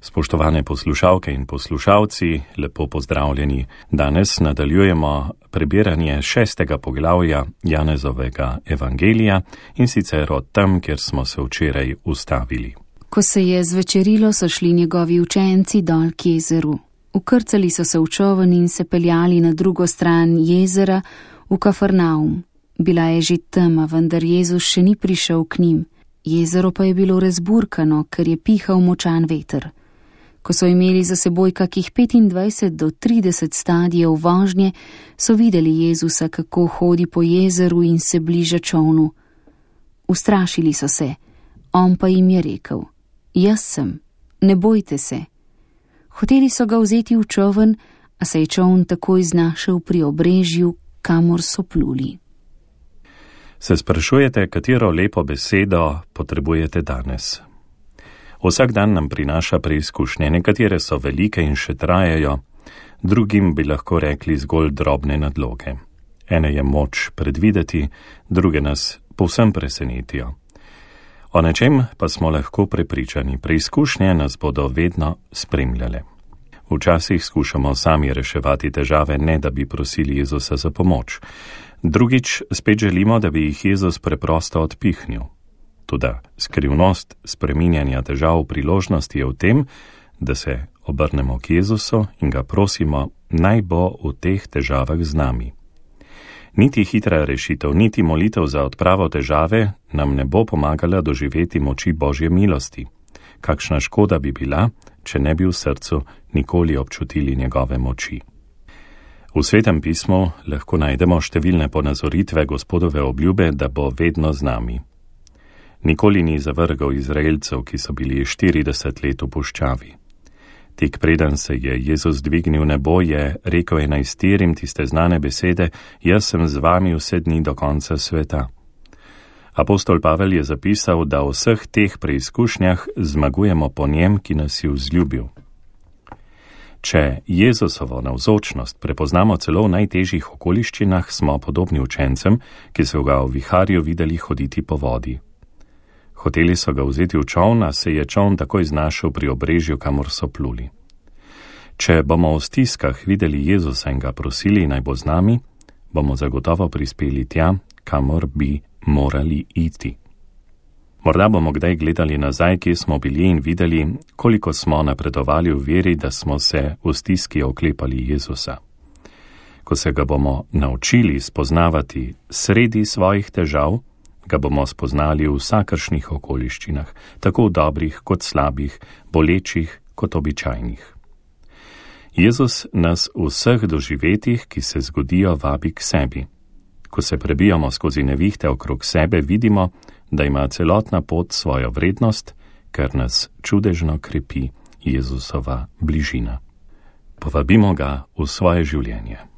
Spoštovane poslušalke in poslušalci, lepo pozdravljeni. Danes nadaljujemo prebiranje 6. poglavja Janezovega evangelija in sicer od tam, kjer smo se včeraj ustavili. Ko se je zvečerilo, so šli njegovi učenci dol k jezeru. Ukrcali so se v čoln in se peljali na drugo stran jezera v Kafarnaum. Bila je že tema, vendar Jezus še ni prišel k njim. Jezero pa je bilo razburkano, ker je pihal močan veter. Ko so imeli za seboj kakih 25 do 30 stadijev vožnje, so videli Jezusa, kako hodi po jezeru in se bliža čolnu. Ustrašili so se, on pa jim je rekel: Jaz sem, ne bojte se. Hoteli so ga vzeti v čoln, a se je čoln takoj znašel pri obrežju, kamor so pluli. Se sprašujete, katero lepo besedo potrebujete danes? Vsak dan nam prinaša preizkušnje, nekatere so velike in še trajajo, drugim bi lahko rekli zgolj drobne nadloge. Ene je moč predvideti, druge nas povsem presenetijo. O nečem pa smo lahko prepričani, preizkušnje nas bodo vedno spremljale. Včasih skušamo sami reševati težave, ne da bi prosili Jezusa za pomoč. Drugič spet želimo, da bi jih Jezus preprosto odpihnil. Toda skrivnost spreminjanja težav v priložnosti je v tem, da se obrnemo k Jezusu in ga prosimo, naj bo v teh težavah z nami. Niti hitra rešitev, niti molitev za odpravo težave nam ne bo pomagala doživeti moči Božje milosti. Kakšna škoda bi bila, če ne bi v srcu nikoli občutili njegove moči. V Svetem pismu lahko najdemo številne ponazoritve Gospodove obljube, da bo vedno z nami. Nikoli ni zavrgal Izraelcev, ki so bili 40 let v puščavi. Tik preden se je Jezus dvignil nebo, je rekel 11 tiste znane besede: Jaz sem z vami vse dni do konca sveta. Apostol Pavel je zapisal, da v vseh teh preizkušnjah zmagujemo po njem, ki nas je vzljubil. Če Jezusovo navzočnost prepoznamo celo v najtežjih okoliščinah, smo podobni učencem, ki so ga v viharju videli hoditi po vodi. Hoteli so ga vzeti v čoln, a se je čoln takoj znašel pri obrežju, kamor so pluli. Če bomo v stiskah videli Jezusa in ga prosili, naj bo z nami, bomo zagotovo prispeli tja, kamor bi morali iti. Morda bomo kdaj gledali nazaj, kje smo bili in videli, koliko smo napredovali v veri, da smo se v stiski oklepali Jezusa. Ko se ga bomo naučili spoznavati sredi svojih težav, ga bomo spoznali v vsakršnih okoliščinah, tako v dobrih kot slabih, bolečih kot običajnih. Jezus nas v vseh doživetjih, ki se zgodijo, vabi k sebi. Ko se prebijamo skozi nevihte okrog sebe, vidimo, da ima celotna pot svojo vrednost, ker nas čudežno krepi Jezusova bližina. Povabimo ga v svoje življenje.